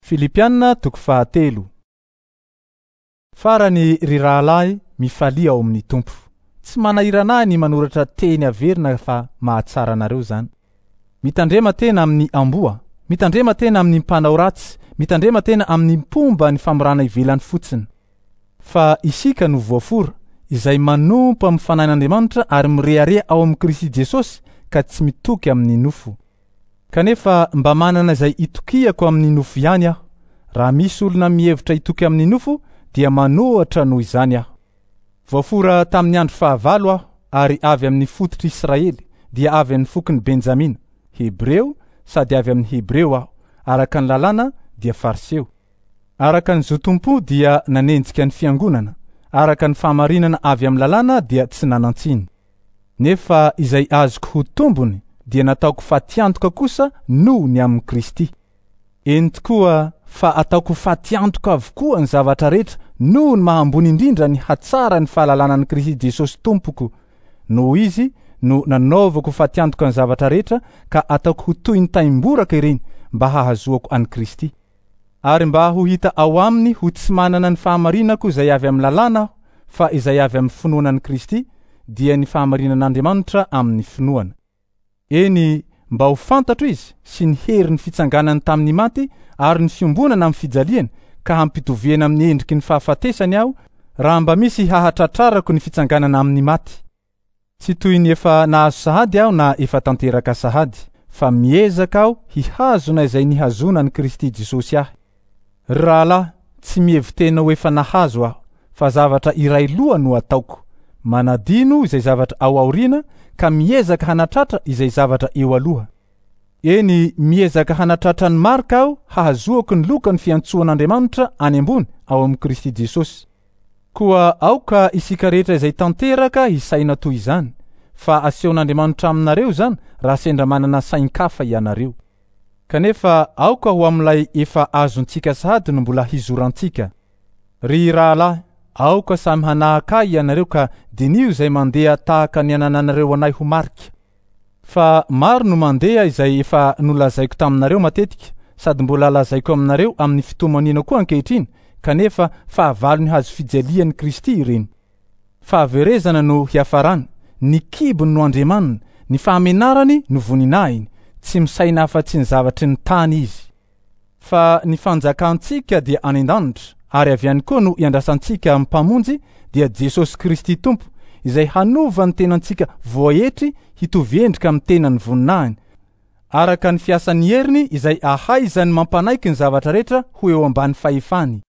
Filipiana toko fahatelo. Farany ry rahalahy, mifalia ao amin'ny Tompo. Tsy manahirana ahy ny manoratra teny averina fa mahatsara anareo izany. Mitandrema tena amin'ny amboa, mitandrema tena amin'ny mpanao ratsy, mitandrema tena amin'ny mpomba ny famorana ivelany fotsiny. Fa isika no voafora, izay manompo amin'ny fanahin'Andriamanitra ary mirehareha ao amin'i Kristy Jesosy ka tsy mitoky amin'ny nofo. Kanefa mba manana izay itokiako amin'ny nofo ihany aho. Raha misy olona mihevitra hitoky amin'ny nofo, dia manohatra noho izany aho. Voafora tamin'ny andro fahavalo aho, ary avy amin'ny fototr'i Israely, dia avy amin'ny fokon'i Benjamina, Hebreo, sady avy amin'ny Hebreo aho, araka ny lalàna dia Fariseo. Araka ny zotom-po dia nanenjika ny fiangonana, araka ny fahamarinana avy amin'ny lalàna dia tsy nanan-tsiny. Nefa izay azoko ho tombony dia nataoko fatiantoka kosa noho ny amin'i Kristy. Eny tokoa fa ataoko fatiantoka avokoa ny zavatra rehetra noho ny maha ambony indrindra ny hatsaran'ny fahalalana an'i Kristy Jesosy Tompoko. Noho Izy no nanaovako fatiantoka ny zavatra rehetra ka ataoko ho toy ny taimboraka ireny mba hahazoako an'i Kristy. Ary mba ho hita ao aminy ho tsy manana ny fahamarinako izay avy amin'ny lalàna aho, fa izay avy amin'ny finoana an'i Kristy, dia ny fahamarinan'Andriamanitra amin'ny finoana. Eny, mba ho fantatro Izy sy ny herin'ny fitsanganany tamin'ny maty ary ny fiombonana amin'ny fijaliany, ka hampitoviana amin'ny endriky ny fahafatesany aho, raha mba misy hahatratrarako ny fitsanganana amin'ny maty. Tsy toy ny efa nahazo sahady aho na efa tanteraka sahady, fa miezaka aho hihazona izay nihazonan'i Kristy Jesosy ahy. Ry rahalahy, tsy mihevi-tena ho efa nahazo aho, fa zavatra iray loha no ataoko, manadino izay zavatra ao aoriana ka miezaka hanatratra izay zavatra eo aloha. Eny, miezaka hanatratra ny marika aho hahazoako ny lokan'ny fiantsoan'Andriamanitra any ambony ao amin'i Kristy Jesosy. Koa aoka isika rehetra izay tanteraka hisaina toy izany, fa asehon'Andriamanitra aminareo izany raha sendra manana sain-kafa ianareo. Kanefa aoka ho amin'ilay efa azontsika sahady no mbola hizorantsika. Ry rahalahy, aoka samy hanahaka ahy ianareo ka diniho izay mandeha tahaka ny anananareo anay ho marika. Fa maro no mandeha izay efa nolazaiko taminareo matetika, sady mbola lazaiko aminareo amin'ny fitomaniana koa ankehitriny, kanefa fahavalon'ny hazofijalian'i Kristy ireny. Fahaverezana no hiafarany, ny kibony no andriamaniny, ny fahamenarany no voninahiny, tsy misaina afa-tsy ny zavatry ny tany izy. Fa ny fanjakantsika dia any an-danitra, ary avy any koa no iandrasantsika Mpamonjy, dia Jesosy Kristy Tompo, izay hanova ny tenantsika voaetry hitovy endrika amin'ny tenan'ny voninahiny, araka ny fiasan'ny heriny izay ahaizany mampanaiky ny zavatra rehetra ho eo ambany fahefany.